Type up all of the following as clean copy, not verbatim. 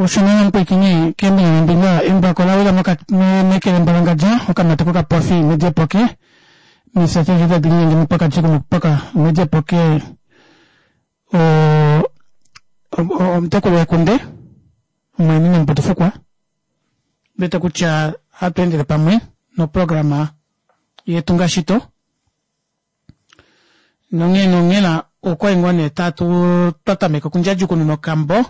Osho nee omupwiikini keembinga nombinga embako la wila meke lembalangandja okamati kokapofi mediepoke mifya keshe tadi linyenge mupaka mupaka mediepoke omutekulu wekunde omweni nomuputufukwa wete kutya hatu endele pamwe noprograma yetu ngashito nonghee nonghela okwali ngoo nee tatu twa tameka okundjadjukununa okambo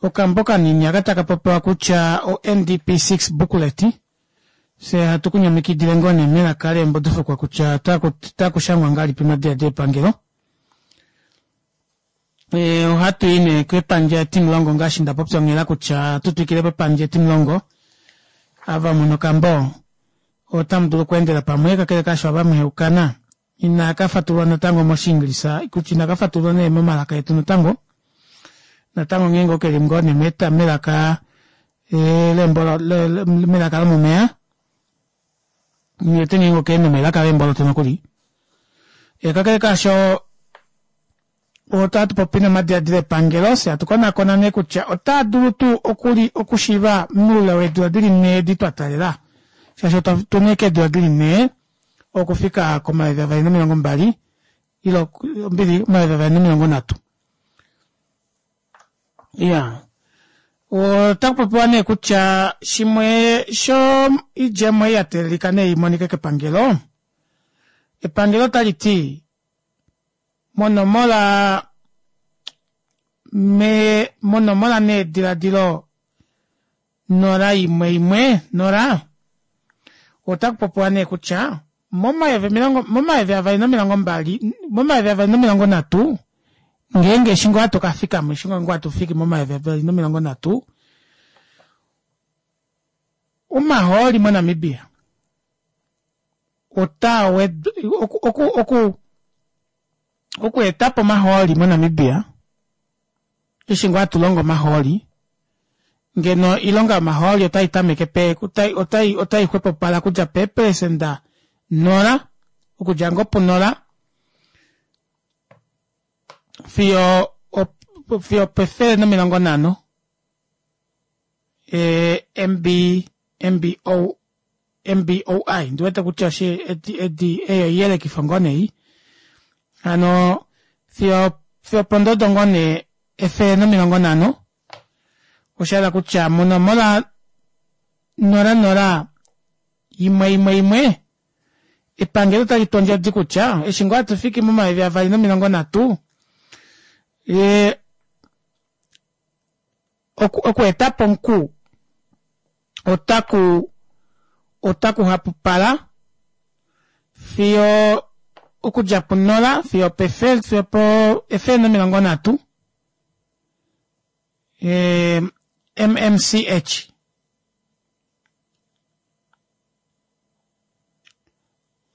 okambo kanini aka taka popiwa kutya o NDP 6 booklet fye hatu kunyamikidile ngoo nee melaka leembodufukwa kutya otaku shangwa ngahelipi omadiladilo epangelo. Ohatu i nee kepandja etimulongo ngaashi nda popya onghela kutya ohatu twikile pepandja etimulongo. Ava muna okambo otamu dulu okweendela pamwe kakele kaasho ava muheukana inaka fatululwa natango mOshiingilisa kutya inaka fatululwa nee momalaka etu natango. Natango ngeenge oke li ngoo nee melaka melaka lomomeya nghiwete ngeenge oke li nomelaka leemboloto nokuli. Kakele kaasho otatu popi nomadiladilo epangelo fye hatu konakona nee kutya otaa dulu tuu okuli okushiiva moule weedula dili nhee edi twa talela shaashi otuna ashike eedula dili nhee okufika komayovi avali nomilongo mbali ile ombili omayovi avali nomilongo nhatu. Iya otaku popiwa nee kutya shimwe sho idjemo ei ya teelelika nee imonike kepangelo, epangelo otali ti monomola me monomola neediladilo nola imwe imwe nola otaku popiwa nee kutya momayovi omilongo momayovi avali nomilongo mbali momayovi avali nomilongo nhatu ngeenge eshi ngoo hatu ka fikamo eshi ngoo hatu fiki momayovi avali nomilongo nhatu omahooli moNamibia otaa wed oku oku oku okuetapo omahooli moNamibia eshi ngoo hatu longo omahooli ngeno oilonga yomahooli otai tameke pe otai otai otai xwepopala okudja peepelesenda nola okudja ngoo punola fiyo fiyo opefele nomilongo nhano MB MBO MBOI ndiwete kutya oshi edi edi eyo iyelekifo ngoo nee hano fiyo fiyo opondodo ngoo nee efele nomilongo nhano osha hala kutya monomola nola nola imwe imwe imwe epangelo otali tu ondjodi kutya eshi ngoo hatu fiki momayovi avali nomilongo nhatu okuetapo omuku otaku otaku hapupala fiyo okudja punola fiyo pefele fiyo po efele nomilongo nhatu MMCH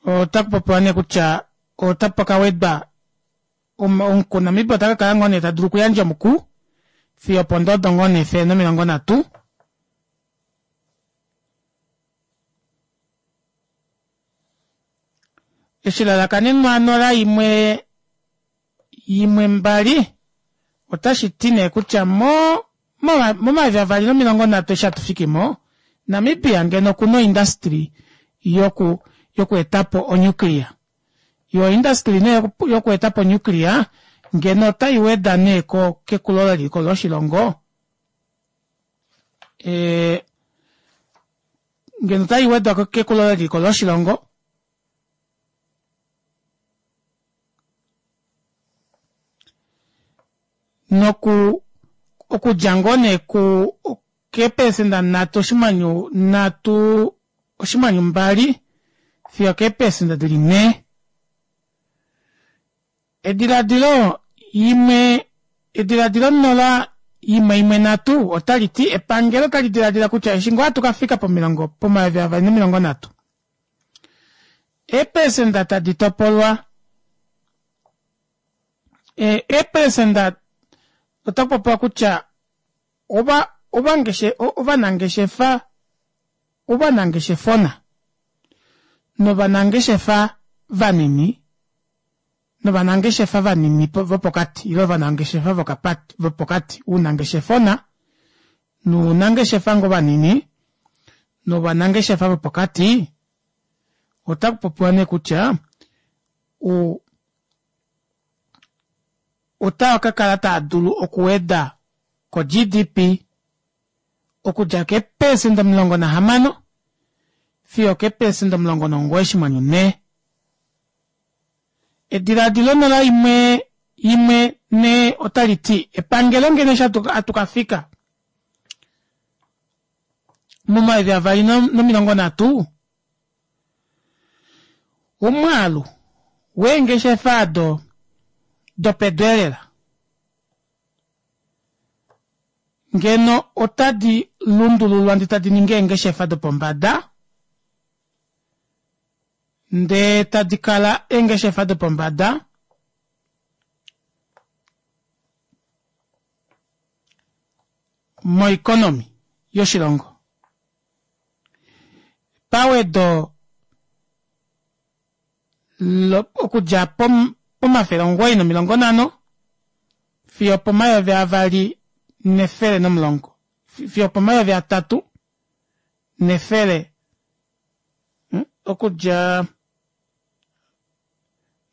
otaku popiwa nee kutya otapa ka wedwa omuku Namibia ota ka kala ngoo nee ta dulu okuyandja omuku fiyo opondodo ngoo nee efele nomilongo nhatu. Eshilalakanenwa nola imwe imwe mbali otashi ti nee kutya mo momayovi avali nomilongo nhatu eshi hatu fiki mo, Namibia ngeno okuna oindustry yoku yoku etapo onuclear. Yo oindustry nee yoku etapo onuclear ngeno otai weda nee ko kekulo leliko loshilongo e, ngeno otai wedwa kekulo leliko loshilongo noku okudja ngoo nee ku keepelesenda nhatu oshinghwanyu nhatu oshinghwanyu mbali fiyo keepelesenda dili nhee. Ediladilo imwe ediladilo nola imwe imwe nhatu otali ti epangelo otali diladila kutya eshi ngoo hatu ka fika pomilongo pomayovi avali nomilongo nhatu eepelesenda tadi topolwa eepelesenda otaku popiwa kutya ova ovangeshe ovanangeshefa ovanangeshefona novanangeshefa vanini novanangeshefa vanini vopokati ile ovanangeshefa vopokati ounangeshefona. Nounangeshefa ngoo vanini novanangeshefa vopokati otakupopiwa nee kutya otaa kakala taadulu okuweda ko G_D_P okudja keepelesenda 16 fiyo okeepelesenda 94. Edilaadilo nola imwe imwe nhee otali ti epangelo ngeno eshi hatu kafika momayovi avali nomilongo nhatu omwaalu weengeshefa ado dopedu elela ngeno otadi lundululwa ndee tadi ningi eengeshefa dopombada ndee tadi kala eengeshefa dopombada moikonomi yoshilongo. Pawedo okudja po950 fiyo opo2110 fiyo opo3100 okudja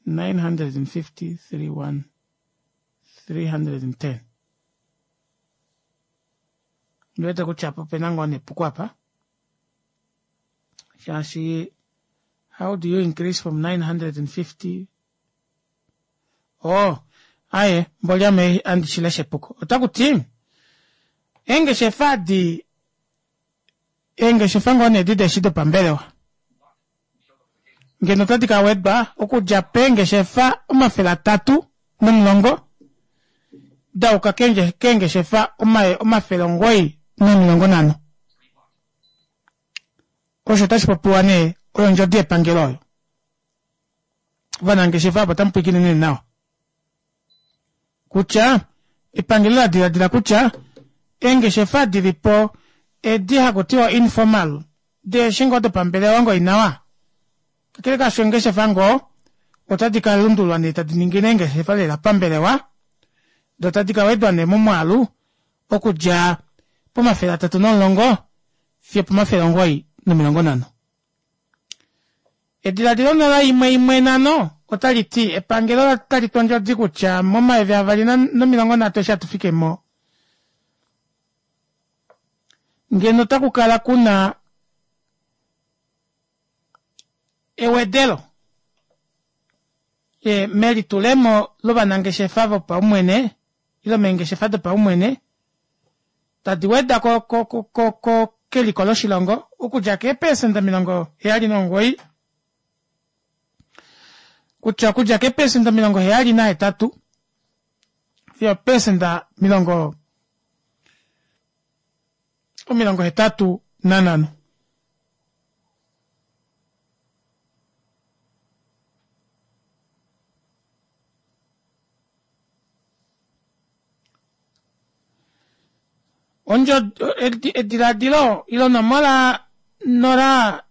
950 31 310 ndiwete kutya apa opena ngoo nepuko apa shaashi how do you increase from 950 oh aye mboli ame andi shilesha epuko otakuti eengeshefa adi eengeshefa ngoo nee edi deshi dopambelewa ngeno otadi ka wedwa okudja peengeshefa 310 da yuka keengeshefa 950. Osho otashi popiwa nee oyo ondjodi yepangelo oyo. Ovanangeshefa avo otamu pwilikine nee nawa kutya epangelo la diladila kutya eengeshefa di li po edi haku tiwa informal deeshi ngoo dopambelewa ngoo inawa kakele kaasho eengeshefa ngoo otadi ka lundululwa nee tadi ningi eengeshefa lela pambelewa do tadi ka wedwa nee momwaalu okudja pomafele atatu nomulongo fiyo pomafele 950. Ediladilo nola imwe imwe nhano otali ti epangelo otali tu ondjodi kutya momayovi avali nomilongo nhatu eshi hatu fike mo ngeno otaku kala ku na ewedelo melitulemo lovanangeshefa vopaumwene ile meengeshefa dopaumwene tadi weda ko ko ko keliko loshilongo okudja keepelesenda 79 kutya okudja keepelesenda 78 fiyo opelesenda 85. Ondjo ediladilo ile onomola nola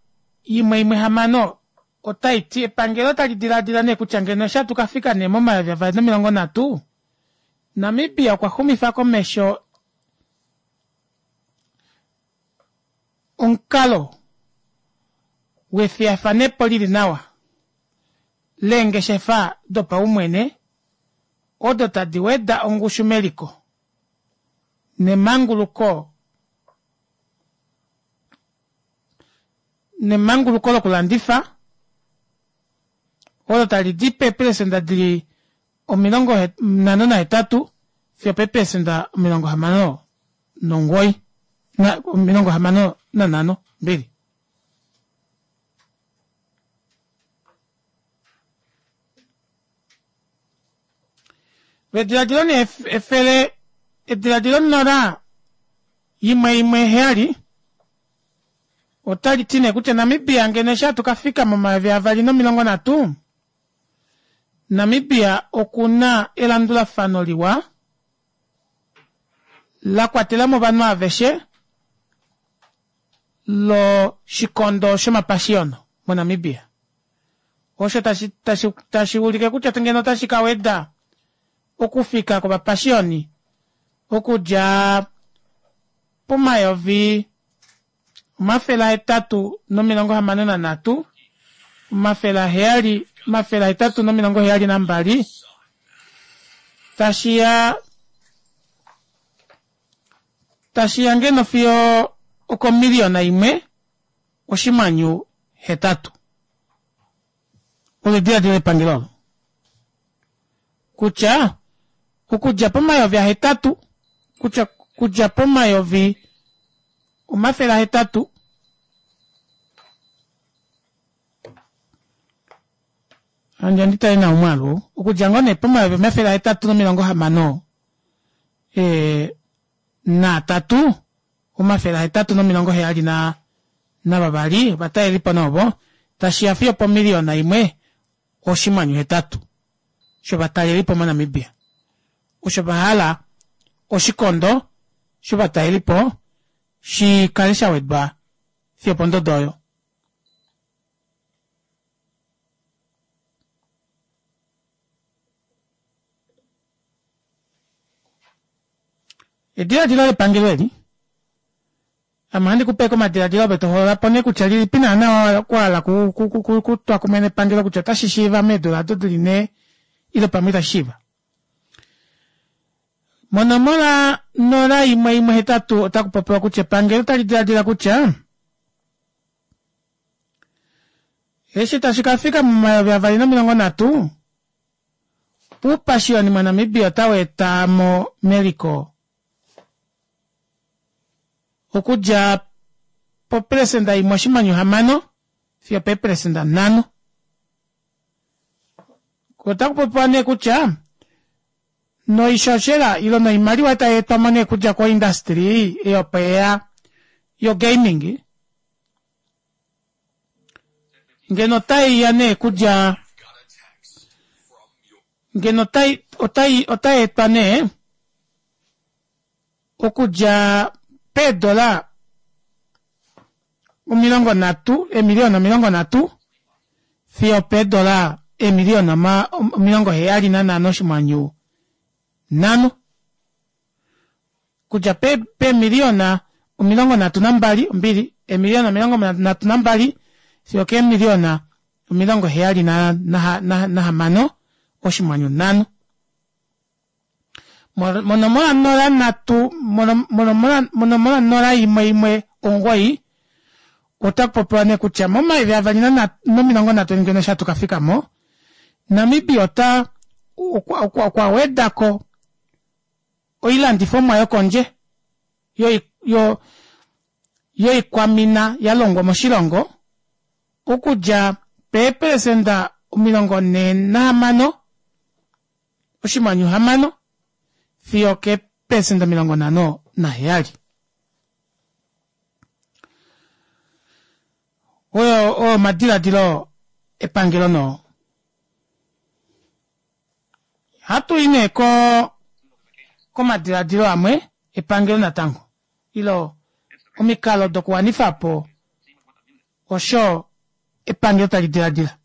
imwe imwe hamano otai ti epangelo tali diladila nee kutya ngeno eshi hatu ka fika nee momayovi avali nomilongo nhatu Namibia okwa xumifa komesho omukalo wefiyafanepo lili nawa leengeshefa dopaumwene odo tadi weda ongushu meliko nemanguluko nemanguluko lokulandifa olo tali di peepelesenda di li 58 fiyo peepelesenda 69 65 mbili. Ediladilo nee efele ediladilo nola imwe imwe heyali otali ti nee kutya Namibia ngeno eshi hatu ka fika momayovi avali nomilongo nhatu Namibia oku na elandulafano liwa la kwatela mo ovanhu aveshe loshikondo shomapashiyono moNamibia. Osho tashi, tashi, tashi ulike kutya ngeno otashi ka weda okufika kwovapashioni okudja pomayovi 863, 700, 872 tashi ya tashi ya ngeno fiyo okomiliyona imwe oshimwanyu hetatu. Olo ediladilo lepangelo olo kutya okudja pomayovi ahetatu kutya kudja pomayovi 800 Handi andi tale nawa omwaalu ou. Okudja ngoo nee pomayovi 863 e, naatatu, 872 ovatalelipo nee ovo, tashi ya fiyo opomiliyona imwe oshimwanyu hetatu shovatalelipo moNamibia. Osho va hala oshikondo shovatalelipo shi kale sha wedwa fiyo opondodo oyo. Ediladilo lepangelo eli ame ohandi ku pe komadiladilo ove to hoolola po nee kutya lilipi naana wa hala kutwa kumwe nepangelo kutya otashi shiiva meedula ado dili nhee ile pamwe itashi shiiva. Monomola 0118 otaku popiwa kutya epangelo otali diladila kutya Eshi tashi ka fika momayovi 2030, uupashiyoni moNamibia otau eta mo meliko okudja popelesenda imwe oshimanyu hamano fiyo peepelesenda nhano. Otaku popiwa nee kutya noishoshela ilo noimaliwa tai etwa mo nee kudja koindastry ei opo yeya yogaming ngeno otai ya nee kudja ngeno otai otai otai etwa nee okudja peedola 30 eemiliyona 30 fiyo peedola eemiliyona 75.5 kudja peemiliyona 32 ombili eemiliyona 32 fiyo keemiliyona 76.5. Monomola 03 monomola 0119 otaku popiwa nee kutya momayovi avali nomilongo nhatu ngeno eshi hatu ka fika mo, Namibia ota okwa weda ko oilandifomwa yokondje yoikwamina ya longwa moshilongo okudja peepelesenda 46 oshinghwanyu hamano fiyo keepelesenda 57. Oyo oyo omadiladilo epangelo noo. Hatu i nee ko komadiladilo amwe epangelo natango ilo omikalo dokuwanifa po osho epangelo tali diladila.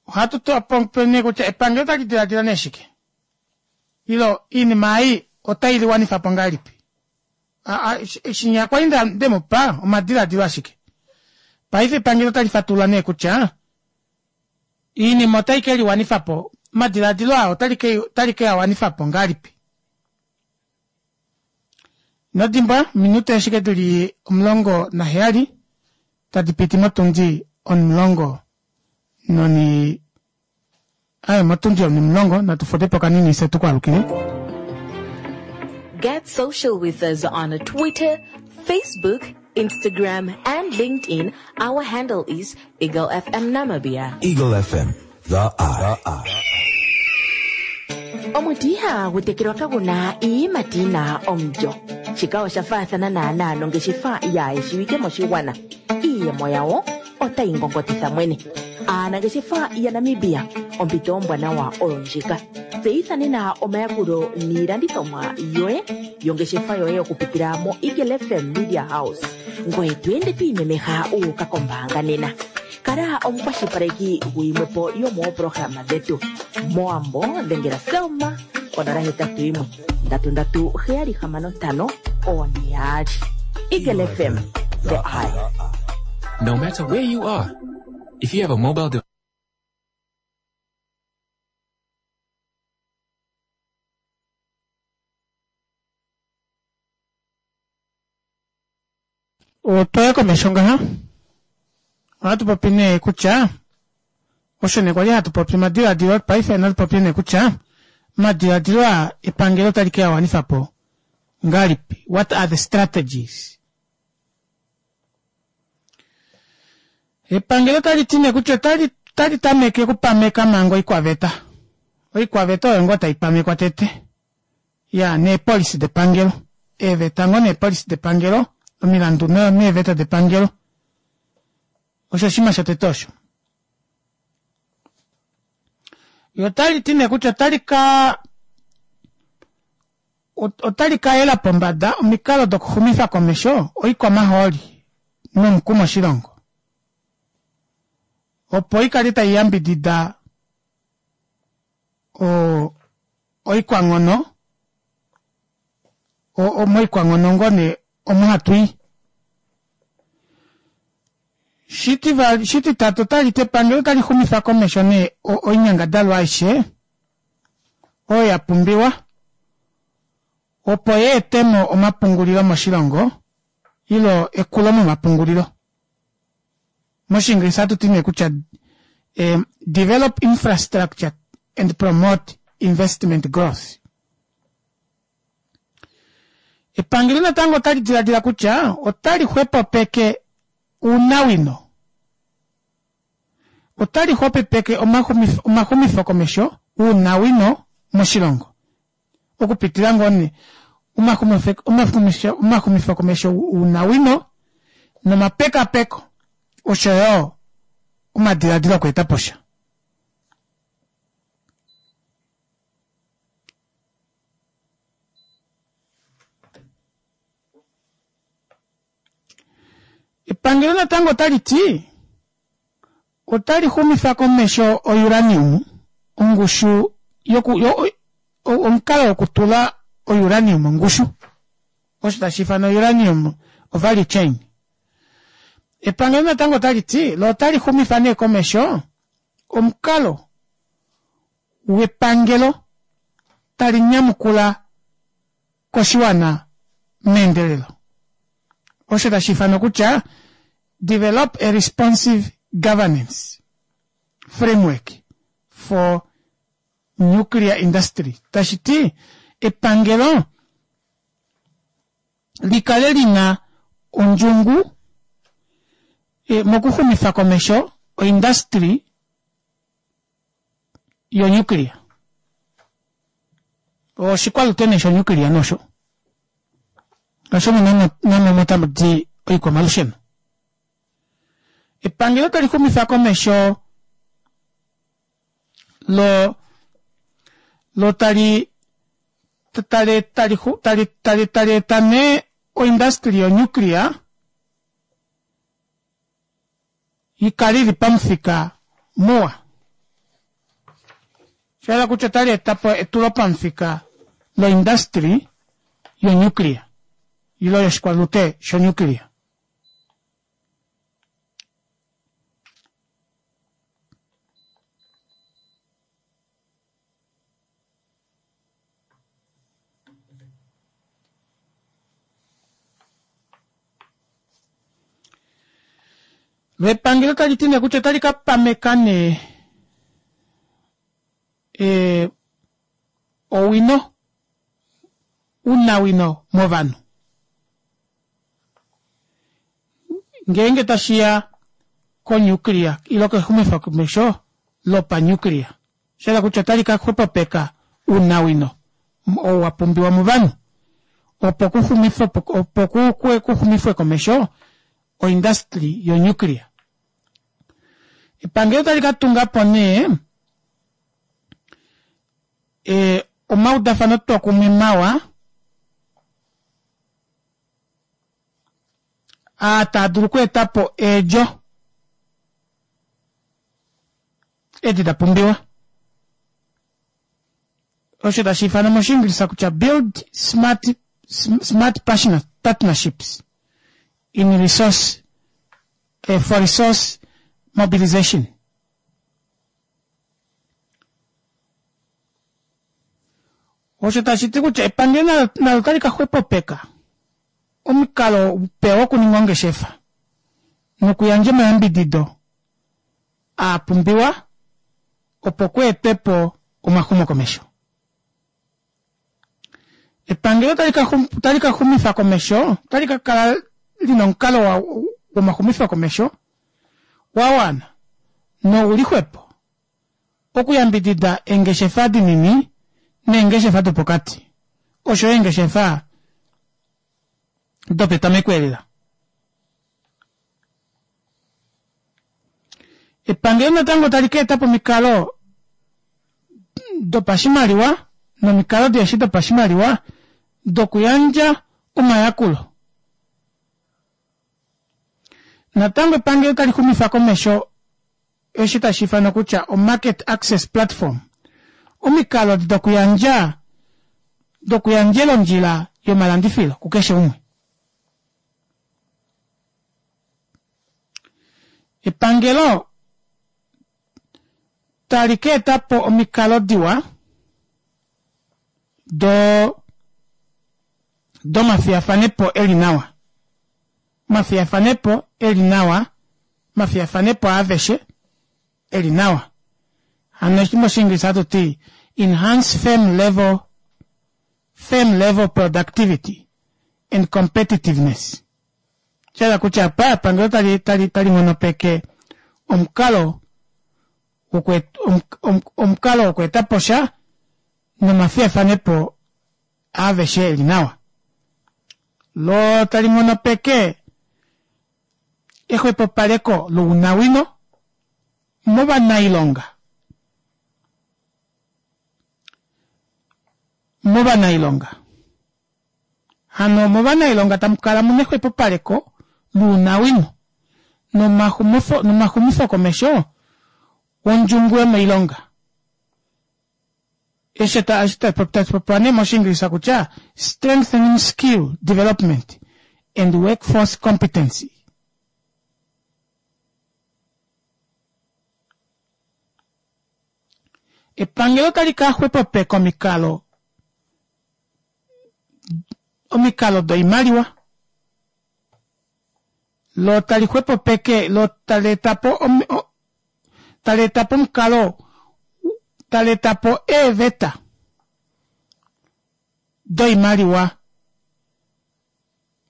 Ohatu popi nee kutya epangelo otali diladila nee shike ilo iinima ei otai liwanifa po ngahelipi. Shinya kwali nde mu pa omadiladilo ashike. Paife epangelo otali fatulula nee kutya iinima otai ke liwanifa po, omadiladilo aa otali ke a wanifa po ngahelipi. Ino dimbwa, ominute ashike di li 17 tadi piti motundi onimulongo noni aye motundi onimulongo natu fude po kanini fye tu ku alukile. Get social with us on Twitter, Facebook, Instagram and LinkedIn. Our handle is Eagle FM Namibia. Eagle FM, the eye. Omuti ihagu tekelwa kagu na iiyimati yi na omulyo. Shika osha faathana naanaa nongeshefa yaa shiwike moshigwana. Iiyemo yawo otayi ngongotitha mwene. Aanangeshefa yaNamibia, ompito ombwanawa oyo ndjika. Tseyitha nena omayakulo niilandithomwa yoye yongeshefa yoye okupitila moEagle FM Media House. Ngoye to ende to imemeha wu uka kombaanga nena. Kala omukwashilipaleki guyimwe po yomooprograma dhetu. Mowambo dhengela Selma konola hetatu yimwe ndatu ndatu heyali hamano ntano one yaali. Eagle FM, the eye. No matter where you are, if you have a mobile device, Otwaya komesho ngaha ohatu popi nee kutya osho nee kwali hatu popi omadiladilo paife natu popi nee kutya omadiladilo aa epangelo otali ke a wanifa po ngahelipi what are the strategies Epangelo otali ti nee kutya otali otali tameke okupameka manga oikwaveta. Oikwaveta oyo ngoo tai pamekwa tete. Ya neepolisi depangelo. Eeveta ngoo neepolisi depangelo, omilandu neeveta depangelo. Osho oshinima shotete osho. Yo otali ti nee kutya otali ka otali ka yela pombada omikalo dokuxumifa komesho oikwamahooli nomuku moshilongo opo i kale tai yambidida oikwanghono moikwanghono ngoo nee omo hatu i. Shititatu otali ti epangelo otali xumifa komesho nee oinyangadalwa aishe oyo ya pumbiwa opo yeetemo omapungulilo moshilongo ilo ekulo momapungulilo. Moshiingilisa ohatu ti nee kutya develop infrastructure and promote investment growth. Epangelo natango otali diladila kutya otali xwepopeke ounawino Otali xwepopeke omaxumifokomesho ounawino moshilongo okupitila ngoo nee omaxumifokomesho ounawino nomapekapeko osho yo omadiladilo okweeta po sha. Epangelo natango otali ti otali xumifa komesho ouranium ongushu yoku yo, omukalo wokutula ouranium ongushu osho tashi ifanwa uranium value chain. Epangelo natango otali ti lo otali xumifa nee komesho omukalo wepangelo tali nyamukula koshiwana meendelelo osho tashi ifanwa kutya develop a responsive governance framework for nuclear industry tashi ti epangelo li kale li na ondjungu e, mokuxumifa komesho oindustry yonuclear oshikwalutene shonuclear nosho osho namo otamu di oikwamalusheno epangelo tali xumifa komesho lo lo tali tali tali tali tali tali eta nee oindustry yonuclear yi kale ili pamufika muwa. Osha hala kutya otali eta po etulo pamufika loindustry yonuclear ilo yoshikwalute shonuclear. Epangelo tali ti nee kutya otali ka pameka nee e, owino unawino movanhu ngeenge tashi ya konuclear ilo kexumifokomesho lopanuclear Osha yela kutya otali ka xwepopeka ounawino oo wa pumbiwa movanhu opo opo kuxumifwe komesho oindastri yonuclear. Epangelo otali ka tunga po nee e, omaudafanotwokumwe mawa aa taa dulu okweeta po eedjo. Edi da pumbiwa. Osho tashi ifanwa mOshiingilisa kutya build smart, smart partnerships in resource, eh, for resource mobilization. Osho tashi ti kutya epangelo nalo otali ka xwepopeka omukalo upe wokuninga ongeshefa nokuyandja omayambidido a pumbiwa opo ku etwe po omaxumokomesho. Epangelo otali ka xumifa komesho, otali ka kala li na omukalo womaxumifokomesho wa wana nou li xwepo okuyambidida eengeshefa dinini neengeshefa dopokati osho yo eengeshefa dopetameko elela. Epangelo natango tali ka eta po omikalo dopashimaliwa nomikalo diheshi dopashimaliwa dokuyandja omayakulo. Natango epangelo tali xumifa komesho eshi tashi ifanwa kutya oMarket Access Platform, omikalo dokuyandja dokuyandjela ondjila yomalandifilo kukeshe umwe. Epangelo tali ka eta po omikalo diwa do domafiyafanepo e li nawa. Omafiyafanepo e li nawa, omafiyafanepo aaveshe e li nawa. Hano eshi mOshiingilisa hatu ti enhance firm level firm level productivity and competitiveness. Sha hala kutya apa epangelo tali tali tali nghonopeke omukalo omukalo wokweeta po sha nomafiyafanepo aaveshe e li nawa. Lo tali nghonopeke exwepopaleko lounawino movanailonga movanailonga. Hano movanailonga tamu kala mu nexwepopaleko lounawino nomaxumifokomesho wondjungu yomoilonga. Eshi tashi popiwa nee mOshiingilisa kutya strengthening skill development and workforce competency. Epangelo otali ka xwepopeka omikalo omikalo doimaliwa lo tali xwepopeke lo tali eta po tali eta po omukalo tali eta po eeveta doimaliwa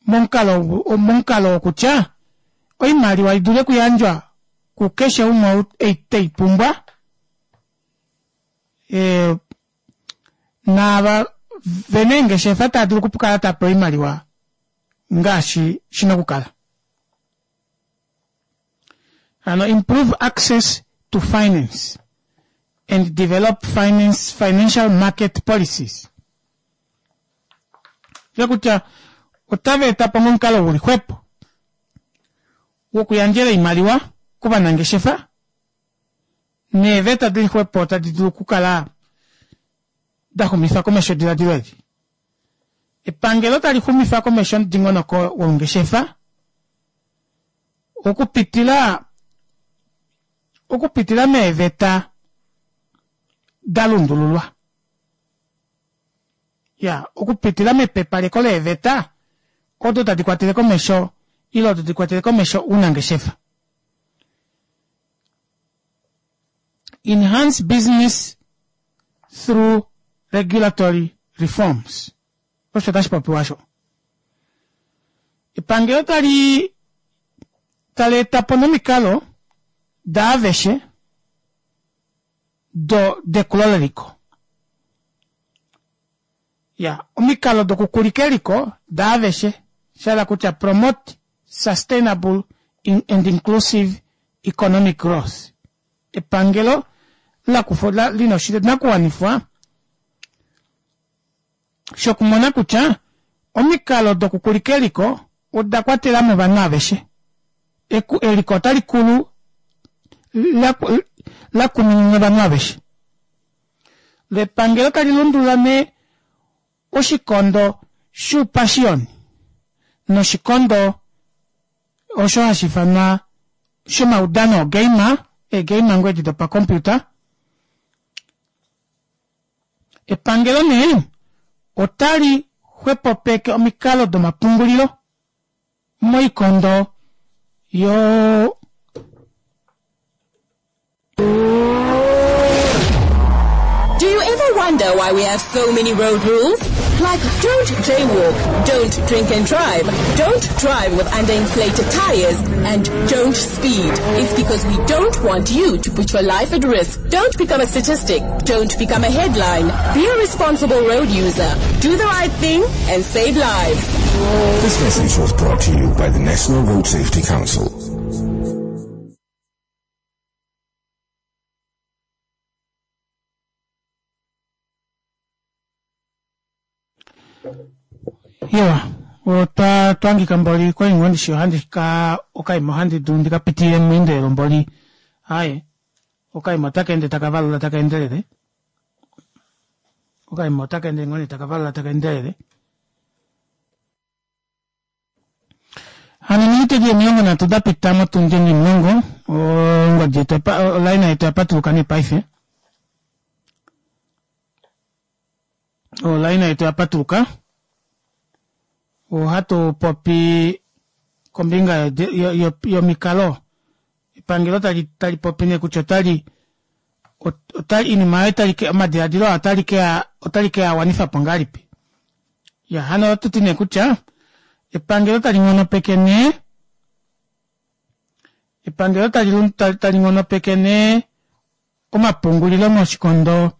momukalo momukalo wokutya oimaliwa i dule okuyandjwa kukeshe umwe ou tei pumbwa e, naava vena eengeshefa tava dulu okukala tava pewa oimaliwa ngaashi shi na okukala. Hano improve access to finance and develop finance, financial market policies. Sha kutya otava eta po omukalo guli xwepo wokuyandjela oimaliwa kovanangeshefa neeveta dili xwepo tadi dulu okukala da xumifa komesho ediladilo eli. Epangelo tali xumifa komesho omudingonoko wongeshefa okupitila okupitila meeveta da lundululwa. Ya, okupitila mepepaleko leeveta odo tadi kwatele komesho ile odo di kwatele komesho ounangeshefa. Enhance business through regulatory reforms. Osho tashi popiwa osho. Epangelo tali tali eta po nomikalo daaveshe do dekulo leliko. Ya, omikalo dokukulika eliko daaveshe, sha hala kutya promote sustainable and inclusive economic growth. Epangelo la kufa la, lina oshinakuwanifwa shokumona kutya omikalo dokukulika eliko oda kwatela mo ovanhu aveshe. Eku, eliko otali kulu la, lakuminina ovanhu aveshe. Lepangelo tali lundulula nee oshikondo shuupashiyoni noshikondo osho hashi ifanwa shomaudano ogeima, eegeima ngoo edi dopakompiuta. Epangelo nee otali xwepopeke omikalo domapungulilo moikondo yo Do you ever wonder why we have so many road rules? Like don't jaywalk, don't drink and drive, don't drive with underinflated tires, and don't speed. It's because we don't want you to put your life at risk. Don't become a statistic. Don't become a headline. Be a responsible road user. Do the right thing and save lives. This message was brought to you by the National Road Safety Council. Iwa, otwa twangika mboli koingwe ndishi ohandi ka okaima ohandi dulu ndika pitilile meendelelo mboli. Aye, okaima otaka ende taka valula taka endelele. Okaima otaka ende ngoo nee taka valula taka endelele. Hano ominute di 30 da pita motundi onimulongo, ongodi yetu olaina yetu oya patuluka nee paife. Olaina yetu oya patuluka. Ohatu popi kombinga yomikalo. Epangelo tali tali popi nee kutya otali otali iinima oyo tali ke omadiladilo aa otali ke otali ke a wanifa po ngahelipi. Ya hano ohatu ti nee kutya epangelo tali nghonopeke nee epangelo tali tali nghonopeke nee omapungulilo moshikondo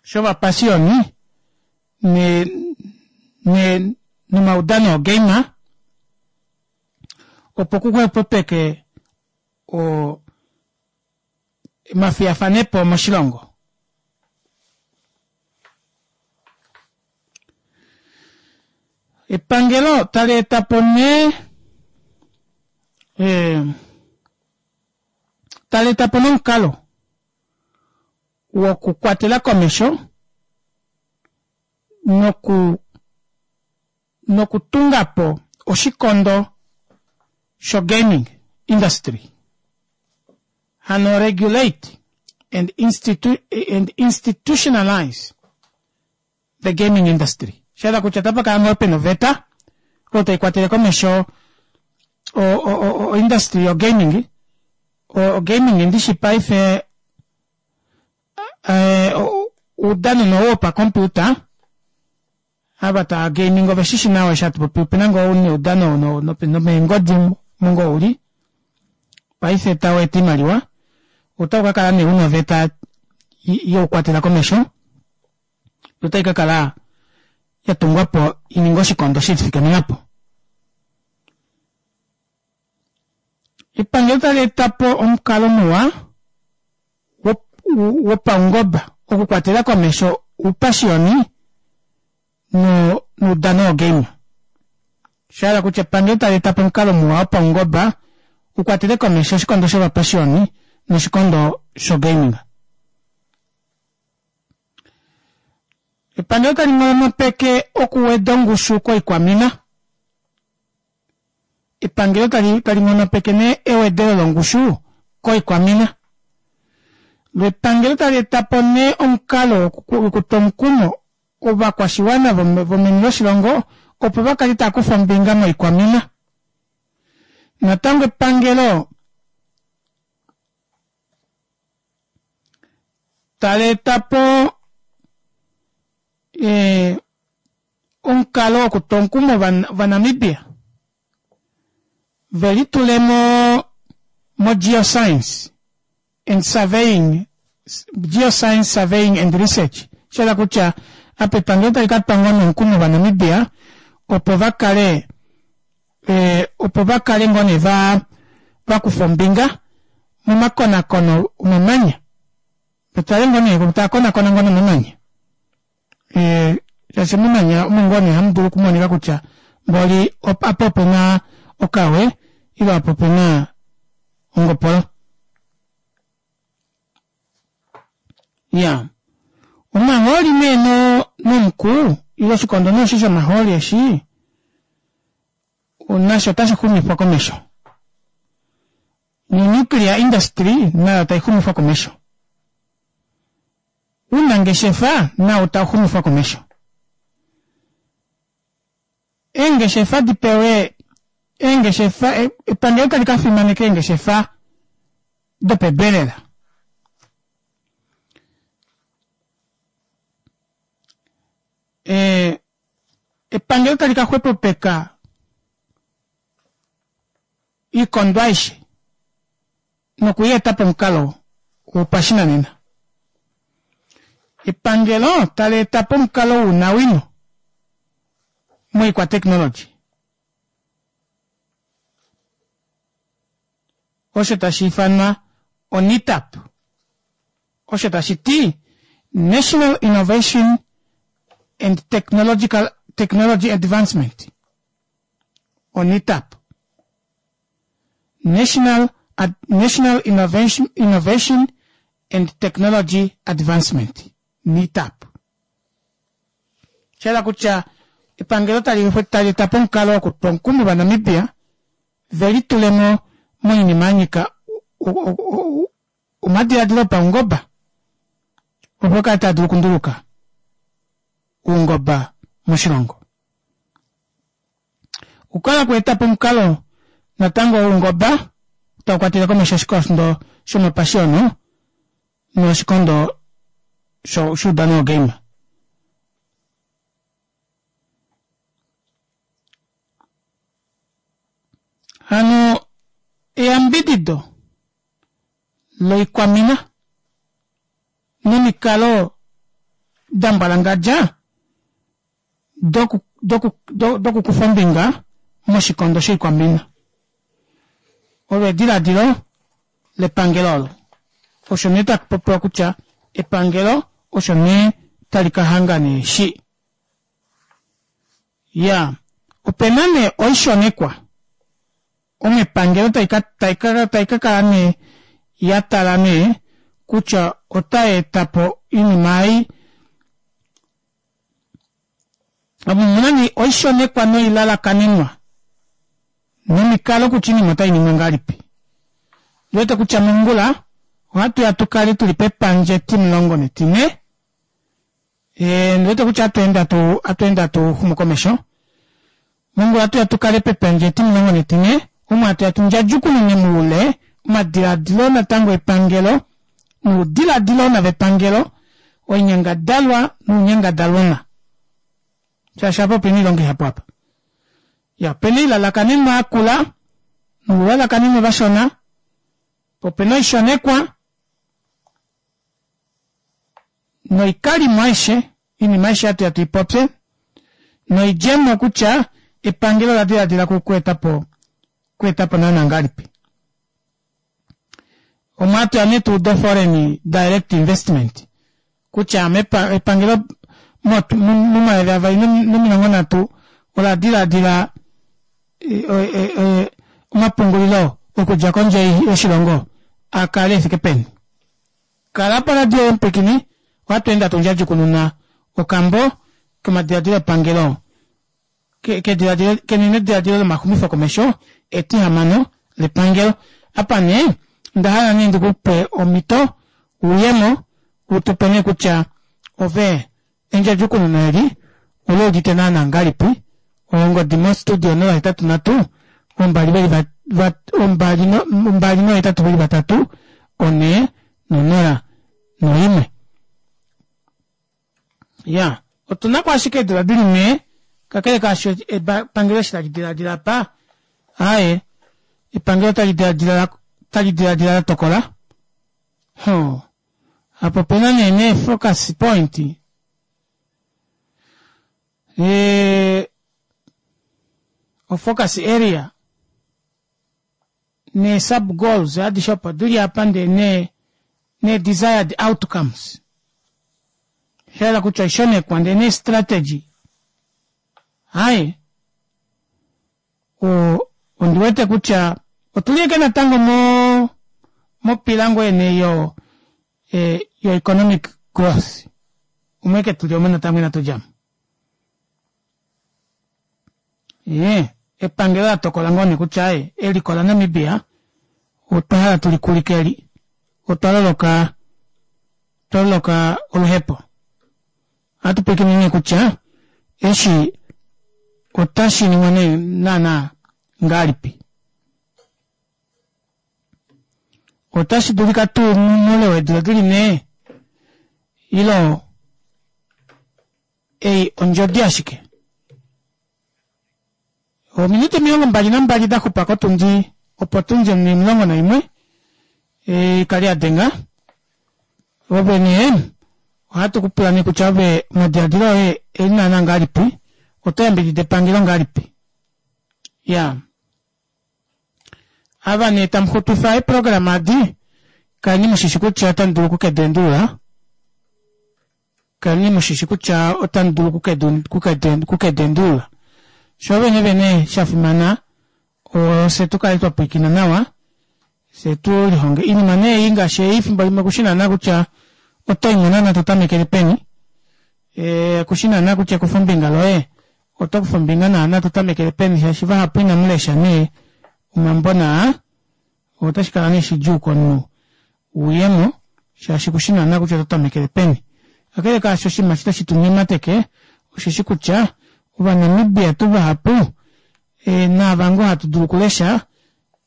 shovapashioni ne ne nomaudano ogeima opo ku xwepopeke o omafiyafanepo moshilongo. Epangelo tali eta po nee eh, tali eta po nomukalo wokukwatela komesho noku nokutunga po oshikondo sho-gaming industry, hano regulate and, institu and institutionalize the gaming industry. Sha kutya otapa kala ngoo pena oveta oyo tai kwatele komesho o-industry yo-gaming. O-gaming ndishi paife eh, oudano no wopakompiuta Ava tava gaming ove shi shi nawa eshi hatu popi opena ngoo neudano nomeengodi omo ngoo uli paife tau eta oimaliwa otau ka kala nee una oveta youkwatela komesho notai ka kala ya tungwa po i ninge oshikondo she lifikamena po. Epangelo tali eta po omukalo muwa wopaungoba okukwatela komesho oupashioni noudano wogeima. Osha hala kutya epangelo tali eta po omukalo muwa wopaungoba u kwatele komesho oshikondo shovapashioni noshikondo shogaming. Epangelo tali nghonopeke okuweda ongushu koikwamina. Epangelo tali tali nghonopeke nee ewedelo longushu koikwamina. Lo epangelo tali eta po nee omukalo wokutwa omukumo ovakwashiwana vomeni loshilongo opo va kale tava kufa ombinga moikwamina. Natango epangelo tali eta po eh, omukalo wokutwa omukumo Ovanamibia ve litule mo mogeoscience and surveying, geoscience surveying and research, sha hala kutya apa epangelo tali ka twa ngoo nomukumo Ovanamibia opo va kale eh, opo va kale ngoo nee va va kufa ombinga momakonakono omamanya, va tale ngoo nee tava konakona ngoo nomamanya. Eh, shaashi momanya omo ngoo nee hamu dulu okumonika kutya mboli apa ope na okawe ile apa ope na ongopolo. Ya omahooli nee no nomuku ile oshikondo nee eshi shomahooli eshi nasho otashi xumifwa komesho. Nonuclear industry nayo tai xumifwa komesho. Ounangeshefa nao tau xumifwa komesho. Eengeshefa di pewe eengeshefa epangelo tali ka fimaneka eengeshefa dopedu elela. E, epangelo tali ka xwepopeka oikondo aishe noku i eta pomukalo wopashinanena. Epangelo tali eta po omukalo wounawino moikwateknologi. Osho tashi ifanwa oNITAP, osho tashi ti National Innovation and Technological Technology Advancement, oNITAP. National National Innovation, Innovation and Technology Advancement, NITAP. Sha hala kutya epangelo tali tali eta po omukalo wokutwa omukumo Ovanamibia ve litule mo moinima ya nyika omadiladilo opaungoba opo kale taa dulu okunduluka oungoba moshilongo. Okukala kweeta po omukalo natango woungoba tau kwatele komesho oshikondo shomapashiyono noshikondo shuudano wogeima. Hano eyambidido loikwamina nomikalo da mbwalangadja dokukufa ombinga moshikondo shoikwamina. Olo ediladilo lepangelo olo. Osho nee taku popiwa kutya epangelo osho nee tali ka hanga nee shi. Ya, ope na nee oishonekwa omo epangelo tai ka, tai ka, tai ka kala nee ya tala nee kutya otai eta po oinima ei Omu muna nee oishonekwa noilalakanenwa nomikalo kutya oinima otai ningwa ngahelipi. Ndi wete kutya mongula ohatu ya tu kale tuli pepandja etimulongo netine. E, ndi wete kutya ohatu ende hatu, hatu ende hatu xumu komesho. Mongula ohatu ya tu kale pepandja etimulongo netine omo hatu ya tu ndjadjukunune moule omadiladilo natango epangelo noudiladilona vepangelo, oinyangadalwa nounyangadalwona. Shaashi apa opena oilonga ihapu apa. Ya, opena oilalakanenwa yakula noulalakanenwa vashona, po opena oishonekwa noikalimo aishe, oinima aishe hatu ya tu i popye, noidjemo kutya epangelo ola diladila ku eta po ku eta po naana ngahelipi. Omwa tuya nee tuude foreign direct investment kutya epangelo momayovi avali nomilongo nhatu ola diladila omapungulilo okudja kondje yoshilongo a kale efike peni. Kala poradio yomupwikini, ohatu ende hatu ndjadjukununa okambo komadiladilo epangelo kenenediladilo lomaxumifo komesho etihamano lepangelo. Apa nee onda hala nee ndikupe omhito uyemo utupe nee kutya ove endjadjukununo eli oli udite naana ngahelipi. Ongodi mostudio 083 ombali veli va ombali no ombali nohetatu veli vatatu one nonola noimwe. Ya otuna ko ashike eedula dili nhee kakele kaasho epangelo eshi tali diladila apa aaye epangelo otali diladila tali diladila la tokola ho apo opena nee nee focus point e, ofocus area nee sub goals adishe opo dili apa ndee nee nee desired outcomes sha hala kutya oishonekwa ndee nee strategy hai ondi wete kutya otuli eke natango mo mopila ngoo ene yo e, yo economic Growth. Umwe ke tuli omo natango inatu djamo. Ye, epangelo la tokola ngoo nee kutya aye, eliko laNamibia otwa hala tuli kulike eli. Otwa loloka, otwa loloka oluhepo. Ohatu pwilikine nee kutya eshi otashi ningwa nee naana ngahelipi. Otashi dulika tuu moule weedula dili nhee ilo ei ondjodi ashike. Ominute 22 da xupa kotundi opo tundi 11 ikali ya denga. Ove nee ohatu ku pula nee kutya ove omadiladilo oye eli naana ngahelipi, oto yambidida epangelo ngahelipi? Ya. Ava nee tamu xutwifa eeprograma adi, kaleni mu shishi kutya otamu dulu oku ke di endulula. Kaleni mu shishi kutya otamu dulu oku ke di endulula. Sho vene vene sha fimana, ofye tu kale twa pwilikina nawa, fye tu lihonge oinima nee ei ngaashi ei fimbo limwe kushi naana kutya oto i mo naana to tamekele peni. Kushi naana kutya ekufombinga loye Oto kufa ombinga naana to tamekele peni shaashi vahapu inamu lesha nee omambo naa otashi kala nee shidjuu komunhu uyemo shaashi kushi naana kutya oto tamekele peni. Kakele kaasho oshinima eshi tashi tu nyemateke osheshi kutya Ovanamibia tuu vahapu naava ngoo hatu dulu okulesha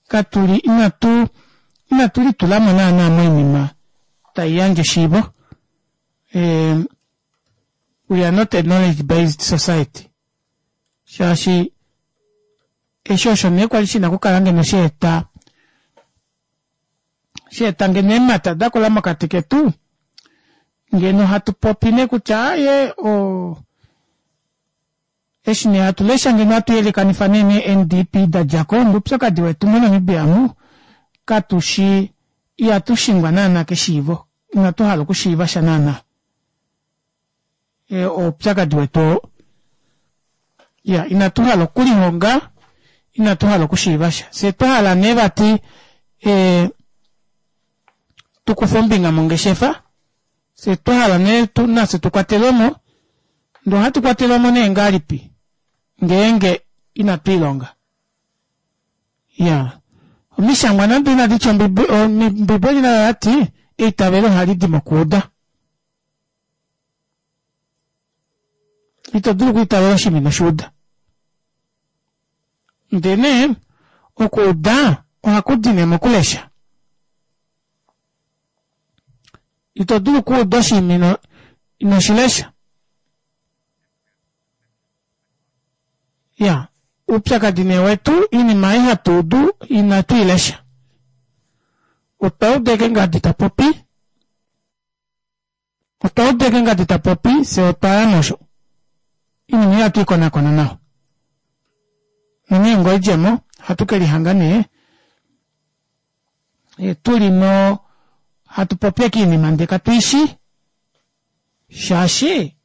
katuli inatu inatu litulamo naana moinima tai yandje eshiivo. We are not a knowledge based society shaashi eshi osho nee kwali shina okukala ngeno sha eta sha eta ngeno eemhata da kula mokati ketu ngeno hatu popi nee kutya aaye o Eshi nee hatu lesha ngeno hatu yelekanifa nee nee NDP da dja ko, oupyakadi wetu moNamibia amu katu shi ihatu shingwa naana keshiivo, inatu hala okushiiva sha naana. Oupyakadi wetu oo. Ya, inatu hala okulihonga, inatu hala okushiiva sha. Fye twa hala nee vati e, tu kufe ombinga mongeshefa, Fye twa hala nee tu nafye tu kwatelwe mo, ndee ohatu kwatelwa mo nee ngahelipi ngeenge inatu ilonga? Iyaa, omishangwa nande inadi tya Ombibeli nayo oya ti eitavelo ohali di mokuuda. Ito dulu okwiitavela oshinima ino shi uda. Ndee nee okuuda ohaku di nee mokulesha. Ito dulu okuuda oshinima ino, ino shi lesha. Ya, uupyakadi nee wetu, iinima ei hatu udu inatu i lesha. Otwa uda eke ngadi ta popi, otwa uda eke ngadi ta popi, fye otwa ya mosho. Iinima ihatu i konakona nawa. Nonghee ngoo oidjemo, ohatu ke lihanga nee tu li mo hatu popi eke iinima ndee katu i shi shaashi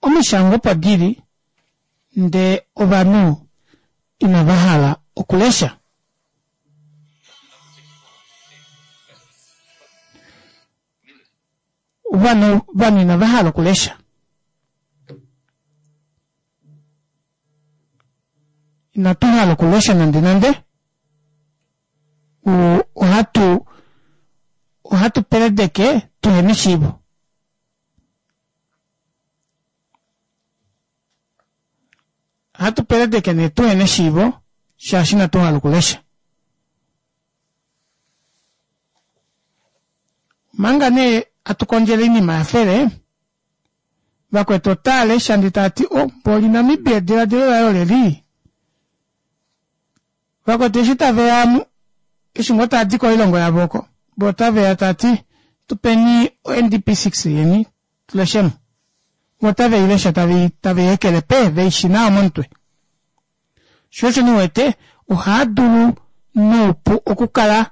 omishangwa opo di li ndee ovanhu inava hala okulesha. Ovanhu ovanhu inava hala okulesha. Inatu hala okulesha nande nande. Ohatu ohatu peledeke tuhena eshiivo. Ohatu peledeke nee tuhena eshiivo shaashi inatu hala okulesha. Omanga nee atu kondjele oinima ya fele, vakwetu otaa lesha ndee taa ti oh mboli Namibia ediladilo laye oleli. Vakwetu eshi tave ya amu, eshi ngoo taa di koilongo yavo oko, vo otave ya taa ti tu peni o-NDP 6 yeni tu leshemo. Vo otave i lesha tave i ekele pe, ve i shi nawa momutwe. Sho osho nee wete ohaa dulu noupu okukala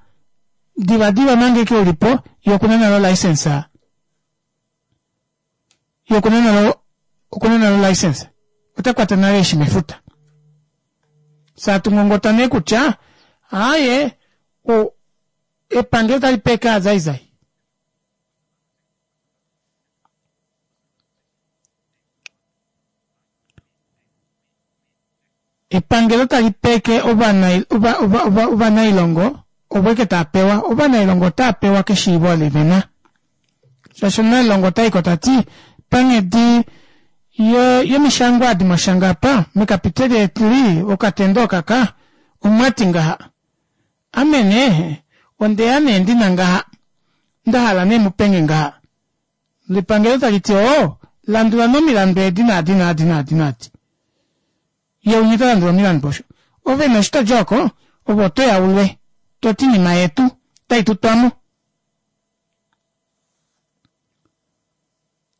divadiva manga eke u li po ye okuna nale olicense ye okuna nale okuna nale olicense ota kwata nale eeshi mefuta. Fye hatu ngongota nee kutya aaye o epangelo tali pe eke aazaizai. Epangelo tali peke ovanailongo ovo eke tava pewa. Ovanailongo otava pewa keshiivo oli vena. Shaashi omunailongo ota iko tati panghedi yomishangwa adi mwa shanga apa mekapiteli eli okatendo okaka omwati ngaha. Ame nee ondeya nee ndina ngaha nda hala nee mupenge ngaha. Lepangelo tali ti oo landula nee omilandu edi naadi naadi naadi naadi. Ye unye ta landula omilandu osho. Ove nee eshi todja oko ove oto ya ulwe toti inima yetu otai tutwa mo.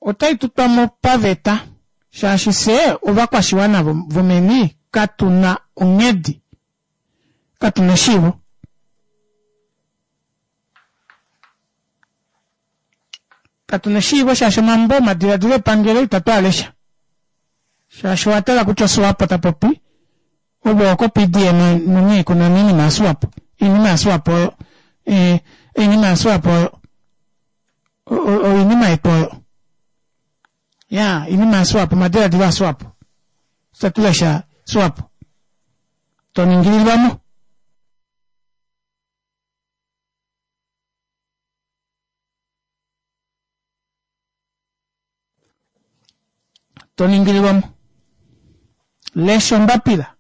Otai tutwa mo paveta shaashi fye ovakwashiwana vomeni katu na onghedi, katu na eshiivo. Katu na eshiivo shaashi omambo omadiladilo epangelo itatu a lesha. Shaashi owa tala kutya oSwapo ta popi, ove oko PDM nonghee kuna oinima yaSwapo. Oinima yaSwapo oyo. Eh, oinima yaSwapo oyo. Oinima yetu oyo. Ya, oinima yaSwapo, omadiladilo aSwapo. Itatu lesha Swapo. To ningililwa mo. To ningililwa mo. Lesha ombapila